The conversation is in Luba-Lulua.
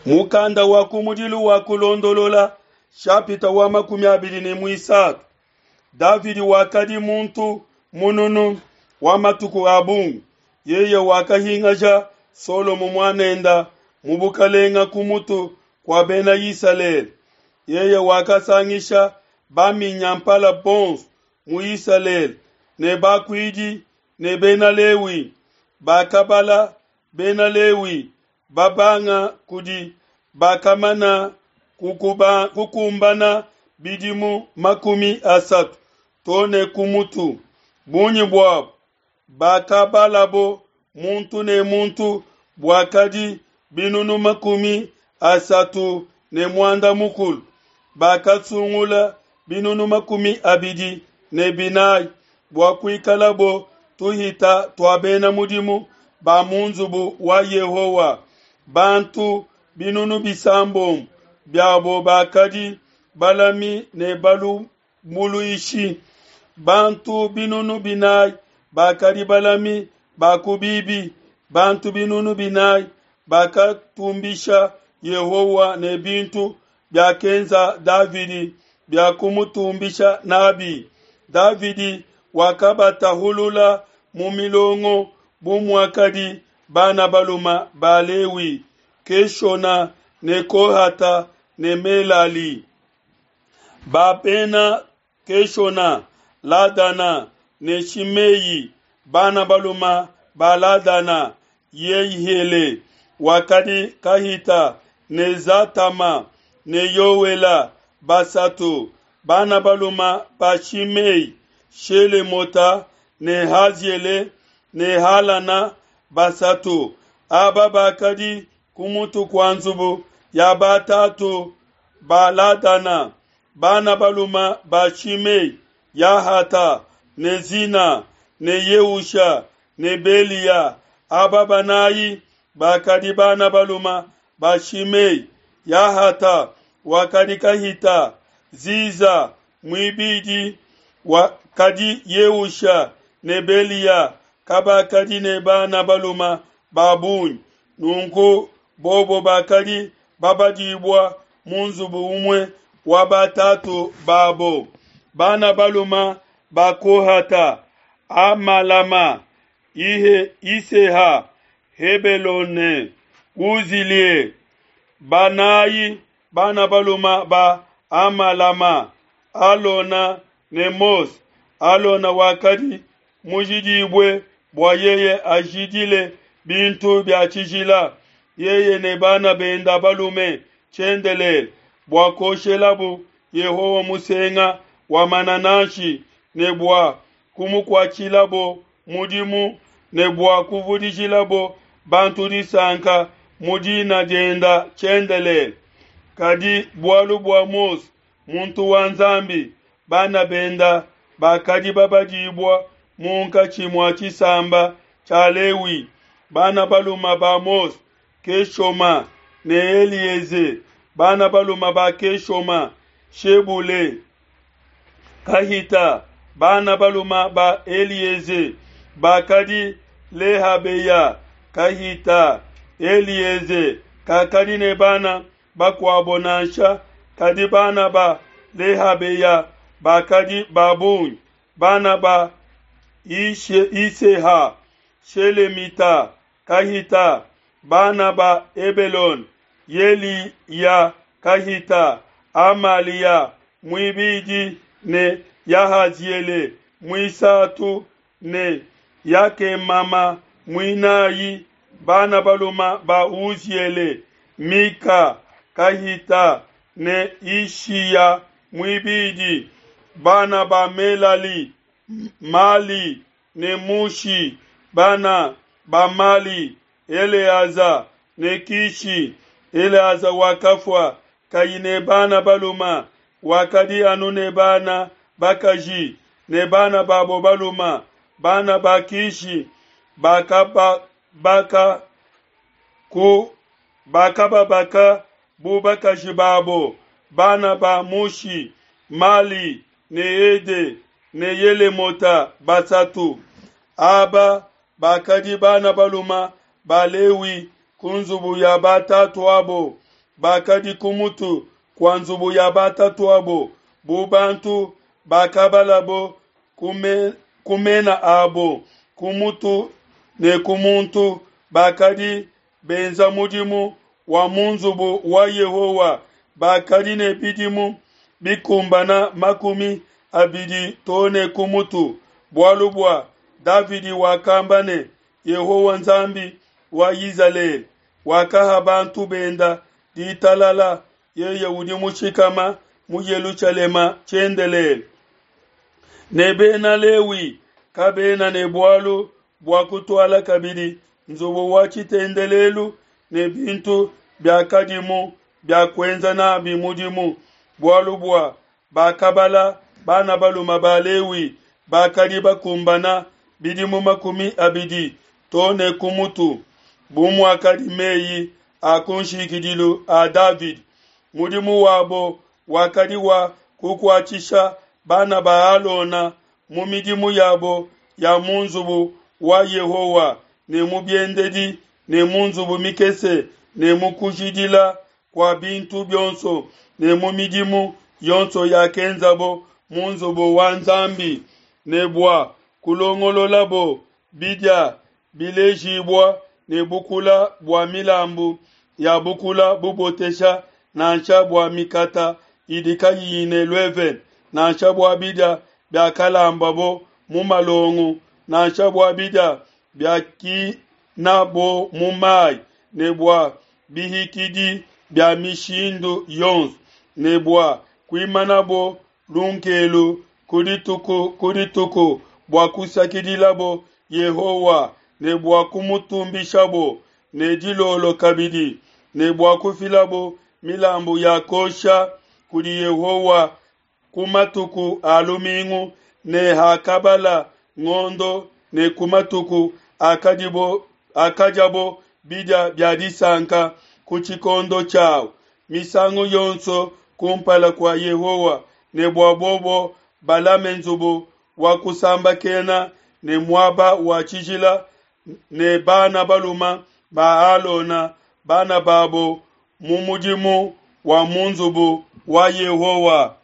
Mukanda wa kumudilu wa Kulondolola shapita wa 23. Davidi wakadi muntu mununu wa matuku a bungi. Yeye wakahingaja Solomo muanenda mu bukalenga ku mutu kua bena Isalele. Yeye wakasangisha baminyampala bonso mu Isalele ne bakuidi ne bena Lewi. Bakabala bena Lewi babanga kudi bakamana kukumbana bidimu 30 to ne ku mutu. Bungi buabo bakabalabo muntu ne muntu buakadi binunu 36. Bakasungula binunu 24 bua kuikalabo tuhita tua bena mudimu ba mu nzubu wa Yehowa. Bantu binunu 6 biabo bakadi balami ne balumbuluishi. Bantu binunu 4 bakadi balami ba ku bibi. Bantu binunu 4 bakatumbisha Yehowa ne bintu biakenza Davidi bia kumutumbisha nabi. Davidi wakabatahulula mu milongo bu muakadi bana baluma ba Lewi, Keshona ne Kohata ne Melali. Ba bena Keshona, Ladana ne Shimei, bana baluma ba Ladana, Yehiele wakadi kahita ne Zatama ne Yoela basatu, bana baluma ba Shimei, Shelemota ne Haziele ne Halana basatu. Aba bakadi ku mutu kua nzubu ya batatu ba Ladana, bana baluma ba Shimei, Yahata ne Zina ne Yeusha ne Belia. Aba banayi bakadi bana baluma ba Shimei. Yahata wakadi kahita, Ziza muibidi wakadi Yeusha ne Belia kabakadi ne bana baluma ba bungi. Nunku bobo bakadi babadibua mu nzubu umue wa batatu babo. Bana baluma ba Kohata, Amalama, Ihe, Iseha, Hebelone, Uzilie. Banayi bana baluma ba Amalama, Alona ne Mose. Alona wakadi mujidibue bua yeye ajidile bintu bia tshijila, yeye ne bana benda balume tshiendelele, bua kuoshelabu Yehowa musenga wa manananshi, ne bua kumukuatshilabo mudimu, ne bua kuvudijilabo bantu disanka mu dina dienda tshiendelele. Kadi bualu bua Mose muntu wa Nzambi, bana benda bakadi babadibua munkatshi mua tshisamba tshia Lewi. Bana baluma ba Mose, Keshoma ne Elieze. Bana baluma ba Keshoma, Shebule, Kahita. Bana baluma ba Elieze bakadi Lehabeya, Kahita. Elieze kakadi ne bana bakuabo nansha, kadi bana ba Lehabeya bakadi ba bungi. Bana ba Iseha, Shelemita, Kahita. Bana ba Ebelone, Yeliya, Kahita, Amalia muibidi ne Yahaziele muisatu ne Yakemama muinayi. Bana baluma ba Uziele, Mika, Kahita ne Ishiya muibidi. Bana ba Melali, Mali ne Mushi. Bana ba Mali, Eleaza ne Kishi. Eleaza wakafua kayi ne bana baluma, wakadi anu ne bana bakaji ne bana babo baluma. Bana ba Kishi bakababaka ku bakababaka bu bakaji babo. Bana ba Mushi, Mali ne Ede ne Yelemota basatu. Aba bakadi bana baluma ba Lewi ku nzubu ya batatu abo. bakadi ku mutu kua nzubu ya batatu'abo bu bantu bakabalabo ku mena abo ku mutu ne ku muntu, bakadi benza mudimu wa mu nzubu wa Yehowa, bakadi ne bidimu bikumbana 20 to ne ku mutu. Bualu bua Davidi wakamba ne, Yehowa Nzambi wa Izalele wakaha bantu benda ditalala, yeye udi mushikama mu Yelushalema tshiendelele. Ne Bena Lewi kabena ne bualu bua kutuala kabidi nzubu wa tshitendelelu ne bintu biakadimu bia kuenza n'abi mudimu, bualu bua bakabala bana balume ba Lewi bakadi bakumbana bidimu 20 to ne ku mutu, bu muakadi mei a kunshikidilu a Davidi. Mudimu wabo wakadi wa kukuatshisha bana ba Alona mu midimu yabo ya mu nzubu wa Yehowa ne mu biendedi ne mu nzubu mikese ne mu kujidila kua bintu bionso ne mu midimu yonso yakenzabo mu nzubu wa Nzambi, ne bua kulongololabo bidia bilejibua ne bukula bua milambu ya bukula bubotesha nansha bua mikata idi kayiyi ne luevene, nansha bua bidia biakalambabo mu malongo, nansha bua bidia biakinabo mu mai, ne bua bihikidi bia mishindu yonso, ne bua kuimanabo lunkelu ku dituku ku dituku bua kusakidilabo Yehowa ne bua kumutumbishabo, ne dilolo kabidi, ne bua kufilabo milambu ya kuosha kudi Yehowa ku matuku a lumingu ne hakabala ngondo ne ku matuku akadibo akadiabo bidia bia disanka ku tshikondo tshiau misangu yonso kumpala kua Yehowa, ne bua bobo balame nzubu wa kusambakena ne muaba wa tshijila ne bana balume ba Alona, bana babo, mu mudimu wa mu nzubu wa Yehowa.